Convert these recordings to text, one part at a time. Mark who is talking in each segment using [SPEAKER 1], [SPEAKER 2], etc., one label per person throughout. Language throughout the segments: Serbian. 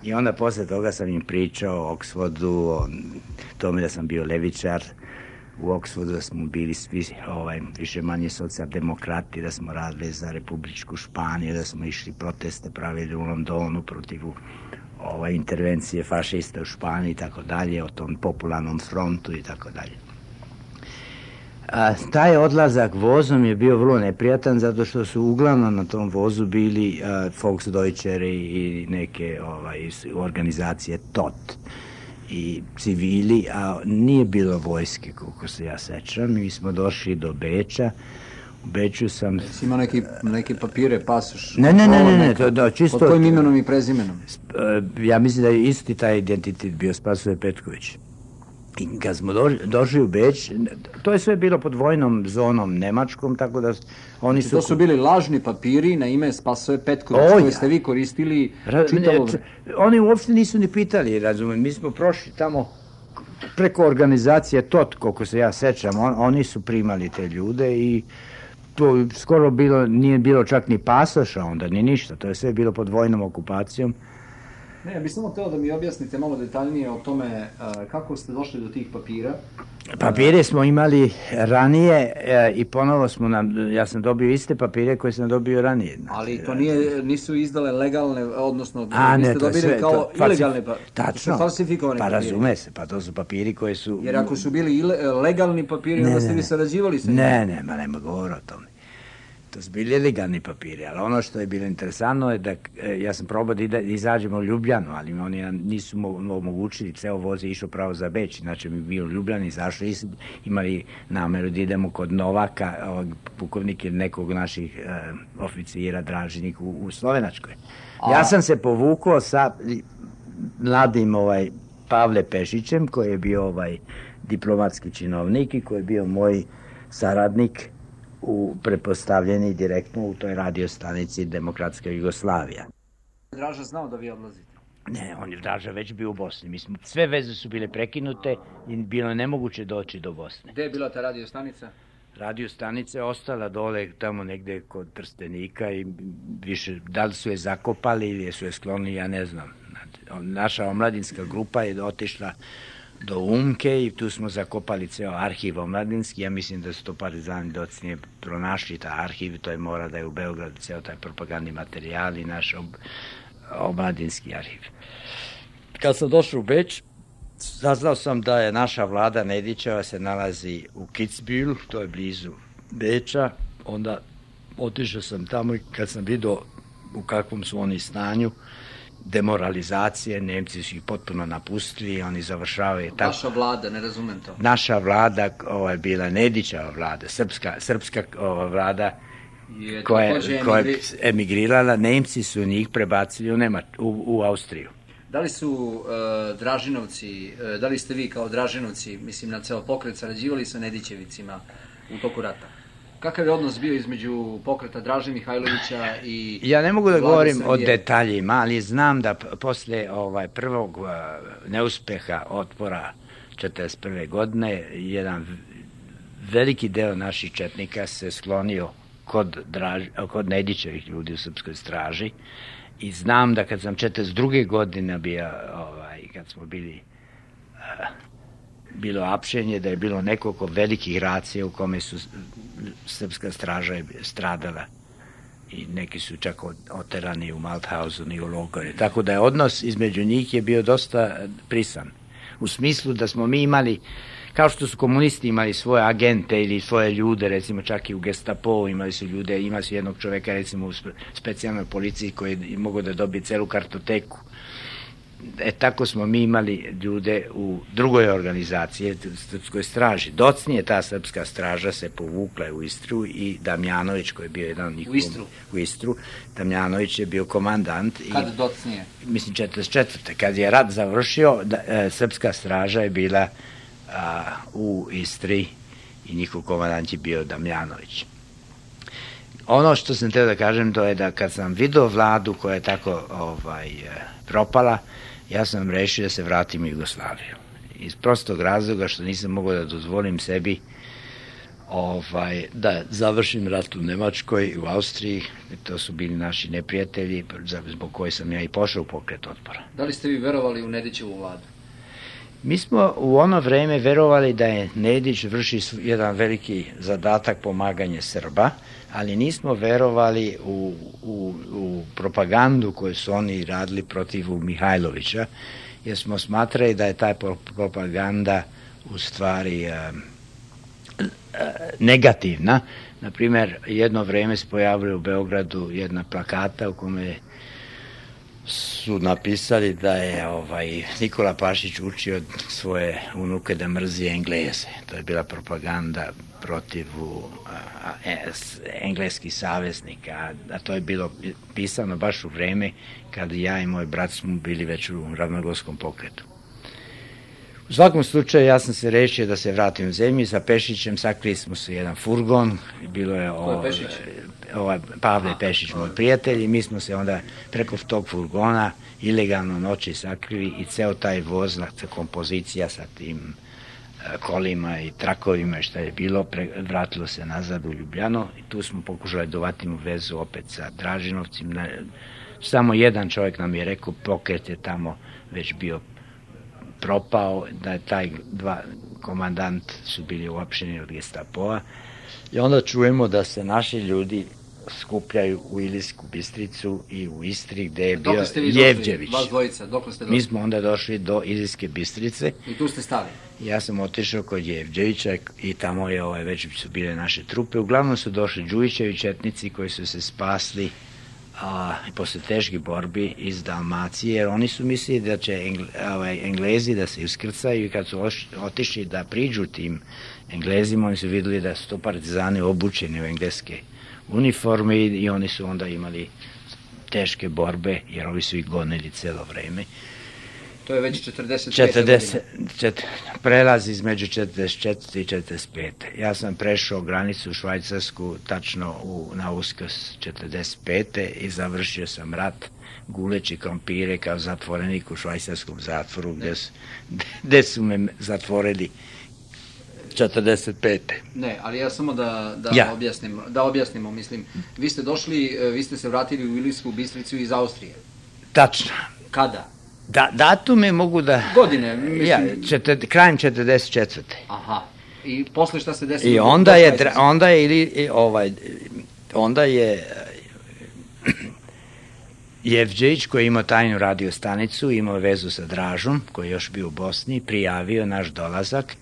[SPEAKER 1] I onda posle toga sam im pričao o Oxfordu, o tome da sam bio levičar u Oxfordu, da smo bili svi više manje socijaldemokrati, da smo radili za Republičku Španiju, da smo išli proteste pravili u Londonu protiv intervencije fašista u Španiji i tako dalje, o tom popularnom frontu i tako dalje. Taj odlazak vozom je bio vrlo neprijatan zato što su uglavnom na tom vozu bili Volksdeutscheri i neke organizacije TOT i civili, a nije bilo vojske, koliko se ja sećam. Mi smo došli do Beča. U Beču sam...
[SPEAKER 2] Jesi imao neke papire, pasoš?
[SPEAKER 1] Ne, to čisto...
[SPEAKER 2] Pod kojim imenom i prezimenom?
[SPEAKER 1] Ja mislim da je isti taj identitet bio Spasoje Petković. I kad smo došli u Beč, to je sve bilo pod vojnom zonom nemačkom, tako da oni su...
[SPEAKER 2] To su bili lažni papiri na ime Spasoje Petković, koje ste vi koristili čitavo...
[SPEAKER 1] Oni uopšte nisu ni pitali, razumijem, mi smo prošli tamo preko organizacije TOT, koliko se ja sećam, oni su primali te ljude i to skoro nije bilo čak ni pasoša onda, ni ništa, to je sve bilo pod vojnom okupacijom.
[SPEAKER 2] Ne, ja bih samo hteo da mi objasnite malo detaljnije o tome kako ste došli do tih papira.
[SPEAKER 1] Papire smo imali ranije i ponovo ja sam dobio iste papire koje sam dobio ranije.
[SPEAKER 2] Ali to nisu izdale legalne, odnosno vi ste dobili kao ilegalne papire.
[SPEAKER 1] Tačno,
[SPEAKER 2] falsifikovane papire.
[SPEAKER 1] Pa razume se, pa to su papiri koji su...
[SPEAKER 2] Jer ako su bili legalni papiri, onda ste vi sarađivali sa njim.
[SPEAKER 1] Nema govora o tome. To su bili legalni papiri, ali ono što je bilo interesantno je da ja sam probao da izađemo u Ljubljanu, ali oni nisu omogućili, ceo voz je išao pravo za Beč, znači mi bio u Ljubljani, izašli, imali nameru da idemo kod Novaka, pukovnik ili nekog naših oficira, Dražinik u Slovenačkoj. Ja sam se povukao sa mladim Pavle Pešićem, koji je bio diplomatski činovnik i koji je bio moj saradnik prepostavljeni direktno u toj radiostanici Demokratska Jugoslavija.
[SPEAKER 2] Draža znao da vi odlazite?
[SPEAKER 1] Ne, on je Draža već bio u Bosni. Sve veze su bile prekinute i bilo je nemoguće doći do Bosne.
[SPEAKER 2] Gde je bila ta radiostanica?
[SPEAKER 1] Radiostanica je ostala dole tamo negde kod Trstenika i više, da li su je zakopali ili su je sklonili, ja ne znam. Naša omladinska grupa je otišla do Umke i tu smo zakopali ceo arhiv omladinski. Ja mislim da su to partizani docnije pronašli taj arhiv, to je mora da je u Beogradu ceo taj propagandni materijal i naš omladinski arhiv. Kad sam došao u Beč, saznao sam da je naša vlada Nedićeva se nalazi u Kitzbühel, to je blizu Beča, onda otišao sam tamo i kad sam vidio u kakvom su oni stanju, demoralizacije, Nemci su ih potpuno napustili, oni završavaju tako...
[SPEAKER 2] Vaša vlada, ne razumem to.
[SPEAKER 1] Naša vlada, je bila Nedićeva vlada, srpska vlada koja je emigrirala, Nemci su njih prebacili u Austriju.
[SPEAKER 2] Da li su Dražinovci, da li ste vi kao Dražinovci, mislim na ceo pokret, sarađivali sa Nedićevicima u toku rata? Kakav je odnos bio između pokreta Draže Mihajlovića i...
[SPEAKER 1] Ja ne mogu da govorim o detaljima, ali znam da posle prvog neuspeha otpora 1941. godine jedan veliki deo naših četnika se sklonio kod Nedićevih ljudi u srpskoj straži i znam da kad sam 1942. godine bio, kad smo bilo apšenje, da je bilo nekoliko velikih racija u kome su srpska straža stradala i neki su čak oterani u Mauthausen i u logore. Tako da je odnos između njih je bio dosta prisan. U smislu da smo mi imali, kao što su komunisti imali svoje agente ili svoje ljude, recimo čak i u Gestapo imali su ljude, imali su jednog čoveka recimo u specijalnoj policiji koji je mogao da dobije celu kartoteku. Tako smo mi imali ljude u drugoj organizaciji, srpskoj straži. Docnije ta srpska straža se povukla u Istru i Damjanović, koji je bio jedan od njih u Istru, Damjanović je bio komandant.
[SPEAKER 2] Kad docnije?
[SPEAKER 1] Mislim 1944. Kad je rat završio, srpska straža je bila u Istri i njihov komandant je bio Damjanović. Ono što sam htio da kažem, to je da kad sam vidio vladu koja je tako propala, ja sam rešio da se vratim u Jugoslaviju. Iz prostog razloga što nisam mogao da dozvolim sebi da završim rat u Nemačkoj, u Austriji. To su bili naši neprijatelji, zbog koje sam ja i pošao u pokret otpora.
[SPEAKER 2] Da li ste vi verovali u Nedićevu vladu?
[SPEAKER 1] Mi smo u ono vreme verovali da je Nedić vrši jedan veliki zadatak pomaganje Srba, ali nismo verovali u propagandu koju su oni radili protiv Mihajlovića, jer smo smatrali da je ta propaganda u stvari negativna. Naprimer, jedno vreme se pojavila u Beogradu jedna plakata u kome su napisali da je Nikola Pašić učio svoje unuke da mrzi Engleze. To je bila propaganda protiv engleskih saveznika, a to je bilo pisano baš u vreme kada ja i moj brat smo bili već u ravnogorskom pokretu. U svakom slučaju ja sam se rešio da se vratim u zemlju, sa Pešićem sakrili smo se jedan furgon, bilo je Pavle Pešić, moj prijatelj, i mi smo se onda preko tog furgona ilegalno noći sakrili i ceo taj voz, kompozicija sa tim kolima i trakovima i šta je bilo, vratilo se nazad u Ljubljano i tu smo pokušali da uvatimo vezu opet sa Dražinovcim. Samo jedan čovjek nam je rekao, pokret je tamo već bio propao, da je taj dva komandant su bili uopšteni od Gestapoa i onda čujemo da se naši ljudi skupljaju u Ilijsku Bistricu i u Istri gde je bio Jevđević.
[SPEAKER 2] Vas dvojica, dokle ste došli?
[SPEAKER 1] Mi smo onda došli do Ilijske Bistrice.
[SPEAKER 2] I tu ste stali?
[SPEAKER 1] Ja sam otišao kod Jevđevića i tamo je već su bile naše trupe. Uglavnom su došli Đujićevi četnici koji su se spasli posle teških borbi iz Dalmacije, jer oni su mislili da će Englezi da se iskrcaju i kad su otišli da priđu tim Englezima, oni su videli da su to partizani obučeni u engleske uniforme i oni su onda imali teške borbe, jer ovi su ih gonili celo vreme.
[SPEAKER 2] To je već 45.
[SPEAKER 1] Prelaz između 44. i 45. Ja sam prešao granicu u Švajcarsku tačno na Uskrs 45. i završio sam rat guleći krompire kao zatvorenik u švajcarskom zatvoru gde su me zatvorili 45.
[SPEAKER 2] Ne, ali ja samo da objasnimo, mislim, vi ste se vratili u Ilijsku Bistricu iz Austrije.
[SPEAKER 1] Tačno.
[SPEAKER 2] Kada?
[SPEAKER 1] Datume mogu da...
[SPEAKER 2] Godine, mislim...
[SPEAKER 1] Krajem 44.
[SPEAKER 2] Aha. I posle šta se desilo?
[SPEAKER 1] I onda je Jevđević, koji je imao tajnu radio stanicu, imao vezu sa Dražom, koji je još bio u Bosni, prijavio naš dolazak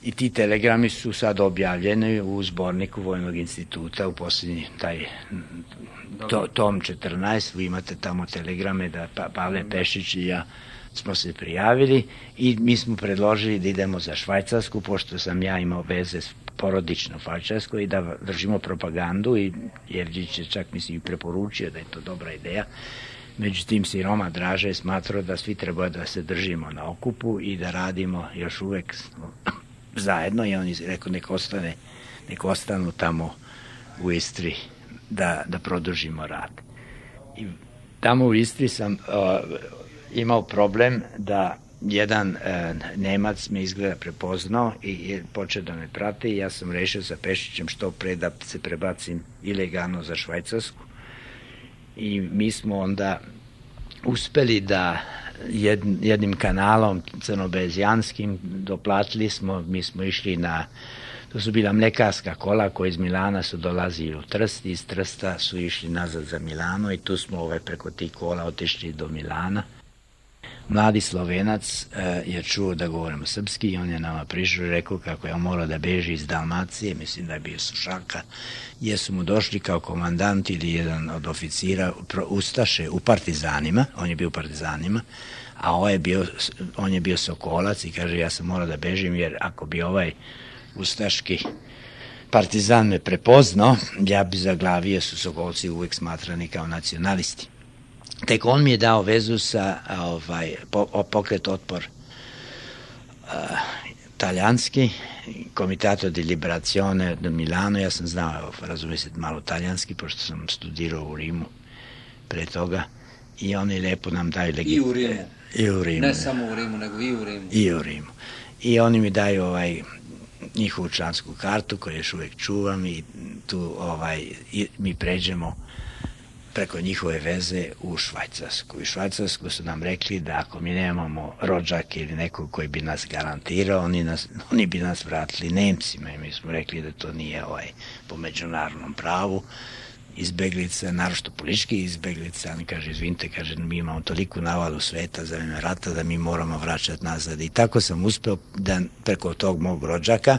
[SPEAKER 1] i ti telegrami su sad objavljeni u zborniku Vojnog instituta u posljednji taj tom 14, vi imate tamo telegrame da Pavle Pešić i ja smo se prijavili i mi smo predložili da idemo za Švajcarsku, pošto sam ja imao veze porodično u Švajcarskoj i da držimo propagandu i Jevđić je čak mislim i preporučio da je to dobra ideja. Međutim, si Roma Draža je smatrao da svi treba da se držimo na okupu i da radimo još uvek zajedno i on je rekao nek ostanu tamo u Istri da produžimo rad. I tamo u Istri sam imao problem da jedan Nemac me izgleda prepoznao i je počeo da me prate i ja sam rešio sa Pešićem što pre da se prebacim ilegalno za Švajcarsku i mi smo onda uspeli da jednim kanalom crnobezijanskim doplatili smo, mi smo išli to su bila mlekarska kola koji iz Milana su dolazili u Trst i iz Trsta su išli nazad za Milano i tu smo preko tih kola otišli do Milana. Mladi Slovenac je čuo da govorimo srpski i on je nama prišao i rekao kako je on morao da beži iz Dalmacije, mislim da je bio Sušaka, jer su mu došli kao komandant ili jedan od oficira Ustaše u partizanima, on je bio u partizanima, a on je bio Sokolac i kaže ja sam morao da bežim jer ako bi ovaj ustaški partizan me prepoznao, ja bi zaglavio, su Sokolci uvek smatrani kao nacionalisti. Tek on mi je dao vezu sa pokret otpor talijanski, Comitato di Liberazione do Milano, ja sam znao, razumije se malo talijanski, pošto sam studirao u Rimu pre toga i oni lepo nam daju
[SPEAKER 2] I u Rimu.
[SPEAKER 1] I u Rimu.
[SPEAKER 2] Ne samo u Rimu, nego i u Rimu.
[SPEAKER 1] I u Rimu. I oni mi daju njihovu člansku kartu koju još uvijek čuvam i tu mi pređemo preko njihove veze u Švajcarsku. U Švajcarsku su nam rekli da ako mi nemamo rođake ili nekog koji bi nas garantirao, oni bi nas vratili Nemcima i mi smo rekli da to nije po međunarodnom pravu izbeglica, naročito politički izbeglica. Oni kaže, izvinite, kaže, mi imamo toliku navalu sveta za vreme rata da mi moramo vraćati nazad. I tako sam uspeo da preko tog mog rođaka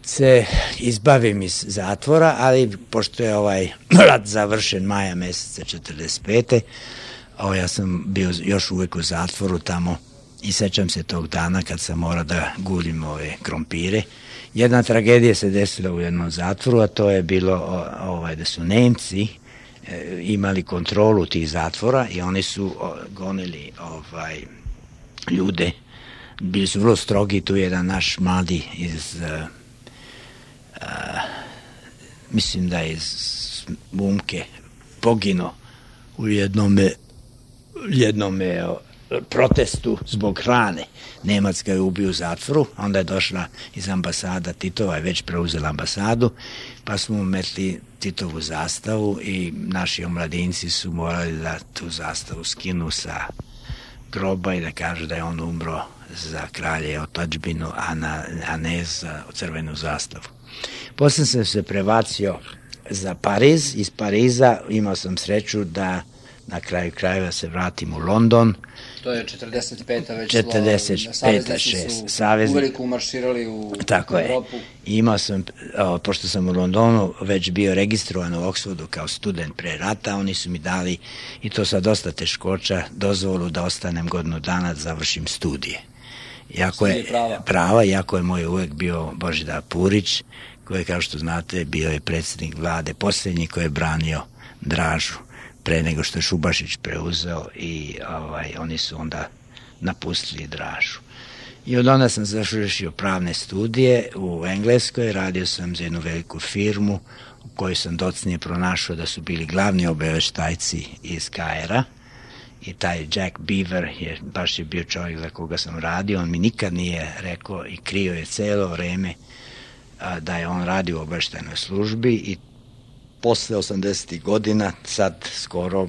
[SPEAKER 1] se izbavim iz zatvora, ali pošto je rat završen maja meseca 45. Ja sam bio još uvijek u zatvoru tamo i sećam se tog dana kad sam morao da gulim ove krompire. Jedna tragedija se desila u jednom zatvoru, a to je bilo da su Nemci imali kontrolu tih zatvora i oni su gonili ljude. Bili su vrlo strogi, tu je jedan naš mladi iz mislim da je iz Umke poginuo u jednom protestu zbog hrane. Nemac ga je ubio u zatvoru, onda je došla iz ambasada, Titova je već preuzela ambasadu, pa smo metli Titovu zastavu i naši omladinci su morali da tu zastavu skinu sa groba i da kažu da je on umro za kralje i otadžbinu, a ne za crvenu zastavu. Poslije sam se prebacio za Pariz. Iz Pariza imao sam sreću da na kraju krajeva se vratim u London.
[SPEAKER 2] To je 45. već
[SPEAKER 1] 45.
[SPEAKER 2] Saveznici su uveliko umarširali u
[SPEAKER 1] Tako
[SPEAKER 2] Evropu.
[SPEAKER 1] I imao sam, pošto sam u Londonu već bio registrovan u Oxfordu kao student pre rata, oni su mi dali, i to sa dosta teškoća, dozvolu da ostanem godinu dana da završim studije. Prava, iako je moj uvek bio Božidar Purić, koji je, kao što znate, bio je predsjednik vlade, posljednji koji je branio Dražu pre nego što je Šubašić preuzeo i oni su onda napustili Dražu. I od onda sam završio pravne studije u Engleskoj, radio sam za jednu veliku firmu u kojoj sam docnije pronašao da su bili glavni obaveštajci iz KR-a i taj Jack Beaver baš je bio čovjek za koga sam radio, on mi nikad nije rekao i krio je celo vreme da je on radio u obaveštajnoj službi i posle 80. godina, sad skoro,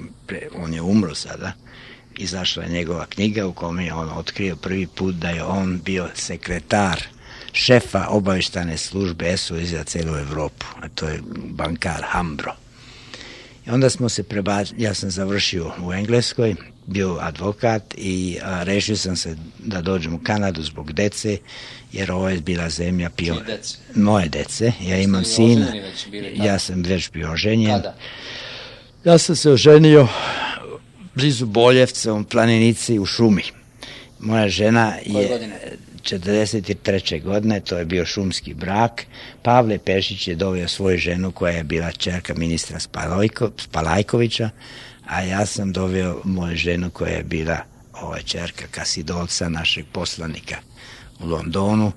[SPEAKER 1] on je umro sada, izašla je njegova knjiga u kome je on otkrio prvi put da je on bio sekretar šefa obavještajne službe SOS za celu Evropu, a to je bankar Hambro. I onda smo se ja sam završio u Engleskoj, bio advokat i rešio sam se da dođem u Kanadu zbog dece, jer ovo je bila zemlja moje dece. Ja imam sina, ja sam već bio oženjen.
[SPEAKER 2] Kada?
[SPEAKER 1] Ja sam se oženio blizu Boljevca, u planinici u šumi. Moja žena je 43. godine, to je bio šumski brak. Pavle Pešić je doveo svoju ženu koja je bila ćerka ministra Spalajkovića, a ja sam doveo moju ženu koja je bila ćerka Kasidolca, našeg poslanika u Londonu.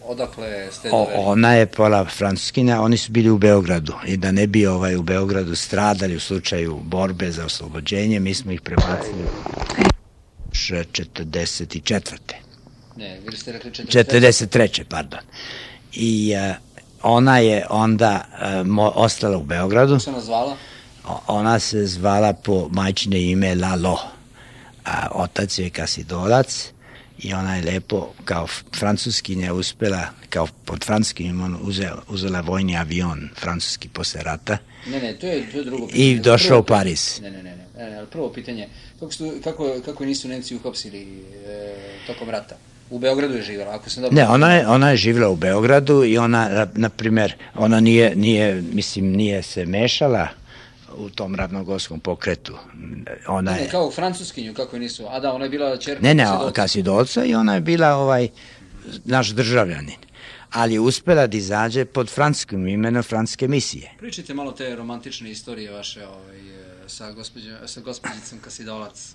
[SPEAKER 2] Odakle ste doveli?
[SPEAKER 1] Ona je pola Francuskinja, oni su bili u Beogradu i da ne bi u Beogradu stradali u slučaju borbe za oslobođenje, mi smo ih prebacili 44.
[SPEAKER 2] Ne, vi ste rekli
[SPEAKER 1] 43. pardon. I ona je onda ostala u Beogradu.
[SPEAKER 2] Kako se ona zvala?
[SPEAKER 1] Ona se zvala po majčine ime Lalo, a otac je Kasidolac i ona je lepo kao francuskinja uspela, kao pod francuskim imenom uzela vojni avion francuski posle rata.
[SPEAKER 2] Ne, to je drugo pitanje.
[SPEAKER 1] I došao u Pariz.
[SPEAKER 2] Ne, prvo pitanje, kako nisu Nemci uhapsili tokom rata? U Beogradu je živjela, ako sam dobro...
[SPEAKER 1] Ne, ona je živjela u Beogradu i ona, na primjer, ona nije se mešala u tom ravnogorskom pokretu.
[SPEAKER 2] Ne, kao u francuskinju, kako je nisu... A da, ona je bila ćerka...
[SPEAKER 1] Ne, Kasidolca i ona je bila naš državljanin. Ali je uspela da izađe pod francuskim imenom francuske misije.
[SPEAKER 2] Pričajte malo te romantične istorije vaše sa gospođicom Kasidolac.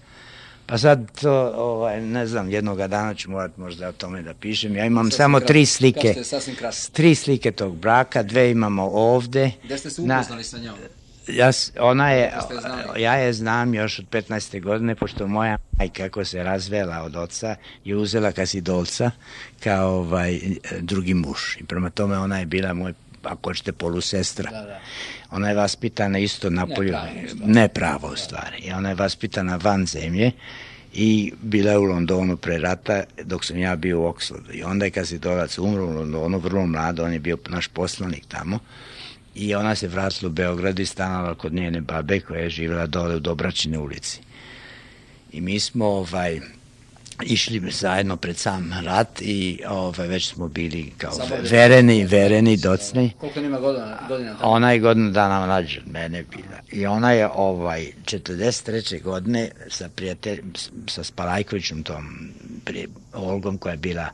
[SPEAKER 1] Pa sad to, ne znam, jednoga dana ću morati možda o tome da pišem. Ja imam samo 3 slike. 3 slike tog braka, 2 imamo ovde.
[SPEAKER 2] Gde ste se upoznali sa njom?
[SPEAKER 1] Ja je znam još od 15. godine, pošto moja majka, kako se razvela od oca, je uzela Kasidolca kao drugi muž. I prema tome ona je bila moj, ako hoćete, polusestra.
[SPEAKER 2] Da.
[SPEAKER 1] Ona je vaspitana isto na polju, ne pravo u stvari. I ona je vaspitana van zemlje i bila je u Londonu pre rata dok sam ja bio u Oxfordu. I onda je Kasidolac umro u Londonu, vrlo mlado, on je bio naš poslanik tamo. I ona se vratila u Beograd i stanovala kod njene babe koja je živjela dole u Dobračine ulici. I mi smo išli zajedno pred sam rat i već smo bili kao vereni, docni.
[SPEAKER 2] Koliko nima godina tamo?
[SPEAKER 1] Ona je godinu dana mlađa od mene bila. I ona je 43. godine sa Spalajkovićem, tom Olgom koja je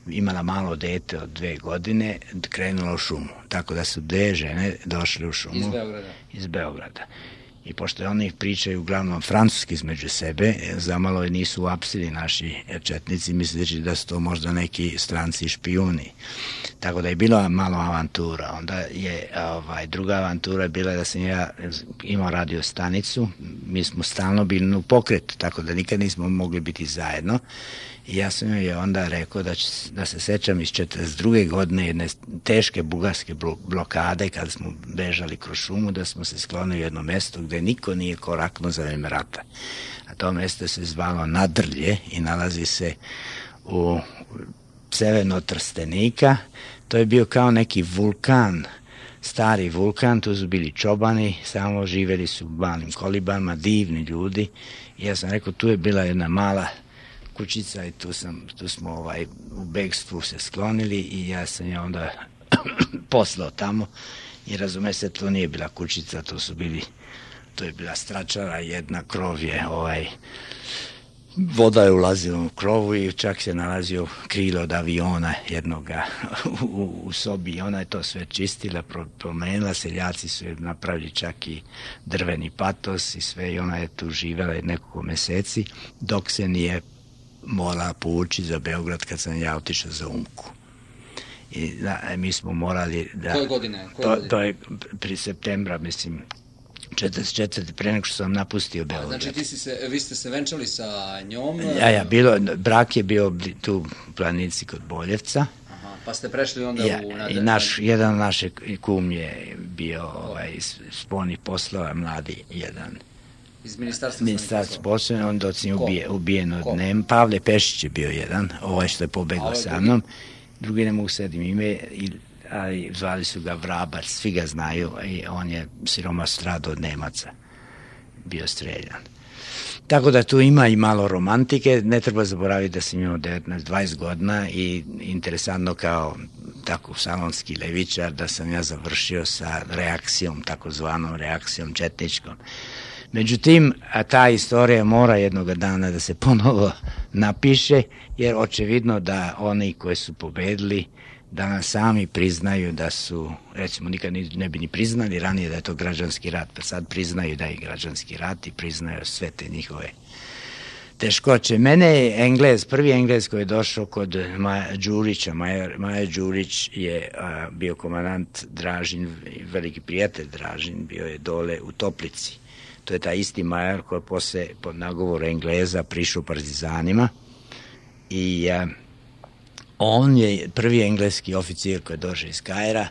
[SPEAKER 1] imala malo dete od 2 godine, krenula u šumu. Tako da su 2 žene došle u šumu. Iz Beograda. I pošto oni pričaju uglavnom francuski između sebe, zamalo nisu uapsili naši četnici, misleći da su to možda neki stranci špijuni. Tako da je bila malo avantura. Onda je druga avantura bila da sam ja imao radio stanicu. Mi smo stalno bili u pokretu, tako da nikad nismo mogli biti zajedno. I ja sam joj onda rekao da se sećam iz 42. godine jedne teške bugarske blokade kada smo bežali kroz šumu, da smo se sklonili u jedno mesto gde niko nije koraknuo za vreme rata. A to mesto se zvalo Nadrlje i nalazi se u severno od Trstenika. To je bio kao neki vulkan, stari vulkan, tu su bili čobani, samo živeli su u malim kolibama, divni ljudi. I ja sam rekao, tu je bila jedna mala kućica i tu smo u begstvu se sklonili i ja sam je onda poslao tamo i razume se, to nije bila kućica, to je bila stračara, jedna krov je, voda je ulazila u krovu i čak se nalazio krilo od aviona jednoga u sobi i ona je to sve čistila, promenila, seljaci su je napravili čak i drveni patos i sve i ona je tu živela nekoliko meseci dok se nije morala povući za Beograd kad sam ja otišao za Umku. I mi smo morali da...
[SPEAKER 2] Koje godine?
[SPEAKER 1] To je pri septembra, mislim, 44. pre nego što sam napustio Beograd.
[SPEAKER 2] Znači vi ste se venčali sa njom?
[SPEAKER 1] Brak je bio tu u Planici kod Boljevca.
[SPEAKER 2] Aha, pa ste prešli onda
[SPEAKER 1] i jedan naš kum je bio spoljnih poslova, mladi jedan.
[SPEAKER 2] Iz ministarstva
[SPEAKER 1] poslova, on docnije ubijen od Nema. Pavle Pešić je bio jedan, što je pobegao sa mnom. Drugi ne mogu sedim ime, ali zvali su ga Vrabac, svi ga znaju i on je siroma stradao od Nemaca, bio streljan. Tako da tu ima i malo romantike, ne treba zaboraviti da sam imao 19-20 godina i interesantno kao tako salonski levičar da sam ja završio sa reakcijom, takozvanom reakcijom četničkom. Međutim, ta istorija mora jednog dana da se ponovo napiše, jer očevidno da oni koji su pobedili danas sami priznaju da su, recimo nikad ne bi ni priznali ranije da je to građanski rat, pa sad priznaju da je građanski rat i priznaju sve te njihove teškoće. Mene je prvi Englez koji je došao kod Đurića, Maja Đurić je bio komandant Dražin, veliki prijatelj Dražin, bio je dole u Toplici. To je taj isti major koji je posle pod nagovoru Engleza prišao partizanima i on je prvi engleski oficir koji je došao iz Kaira.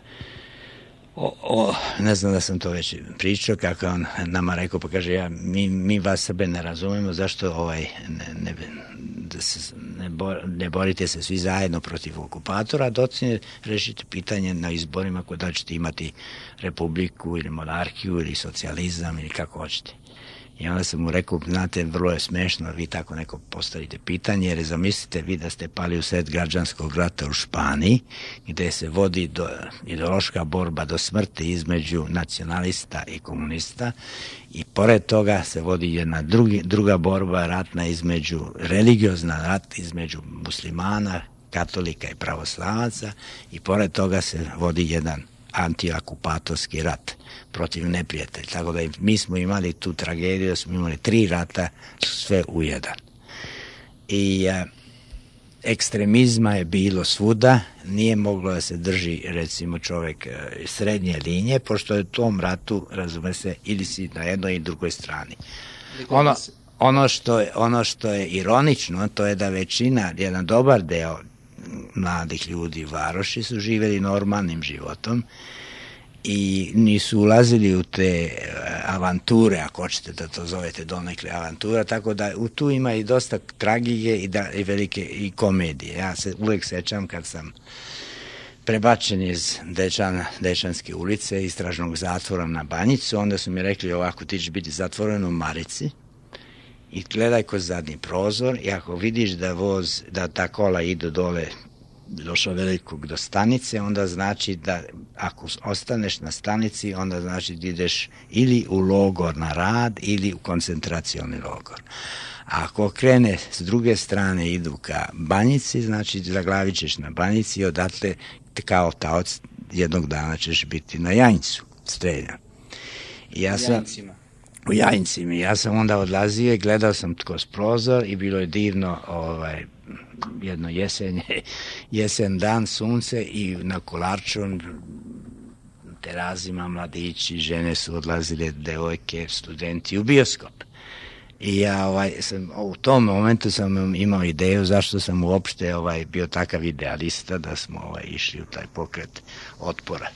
[SPEAKER 1] Ne znam da sam to već pričao, kako on nama rekao, pa kaže, mi vas Srbe ne razumemo, zašto ne borite se svi zajedno protiv okupatora, docine rešite pitanje na izborima da ćete imati republiku ili monarhiju ili socijalizam ili kako hoćete. I onda sam mu rekao, znate, vrlo je smešno, vi tako neko postavite pitanje, jer zamislite vi da ste pali u sred građanskog rata u Španiji, gde se vodi ideološka borba do smrti između nacionalista i komunista i pored toga se vodi jedna druga borba ratna religiozna rat između muslimana, katolika i pravoslavaca i pored toga se vodi jedan antiakupatorski rat protiv neprijatelja. Tako da mi smo imali tu tragediju, da smo imali 3 rata, sve u jedan. I ekstremizma je bilo svuda, nije moglo da se drži recimo čovek srednje linije, pošto je u tom ratu, razume se, ili si na jednoj i drugoj strani. Ono što je ironično, to je da većina, jedan dobar deo mladih ljudi u varoši su živjeli normalnim životom i nisu ulazili u te avanture, ako hoćete da to zovete donekle avantura, tako da tu ima i dosta tragike i velike i komedije. Ja se uvek sećam kad sam prebačen iz Dečanske ulice, istražnog zatvora na Banjicu, onda su mi rekli ovako, ti ćeš biti zatvoren u Marici i gledaj kroz zadnji prozor i ako vidiš da ta kola idu dole došao velikog do stanice, onda znači da ako ostaneš na stanici, onda znači da ideš ili u logor na rad ili u koncentracioni logor. A ako krene s druge strane idu ka Banjici, znači zaglavit ćeš na Banjici i odatle kao taoc jednog dana ćeš biti na Jajincu, streljan. U Jajincima. Ja sam onda odlazio i gledao sam kroz prozor i bilo je divno jedno jesen dan, sunce i na Kolarčun terazima mladići, žene su odlazile, devojke, studenti u bioskop. I ja u tom momentu sam imao ideju zašto sam uopšte bio takav idealista da smo išli u taj pokret otpora.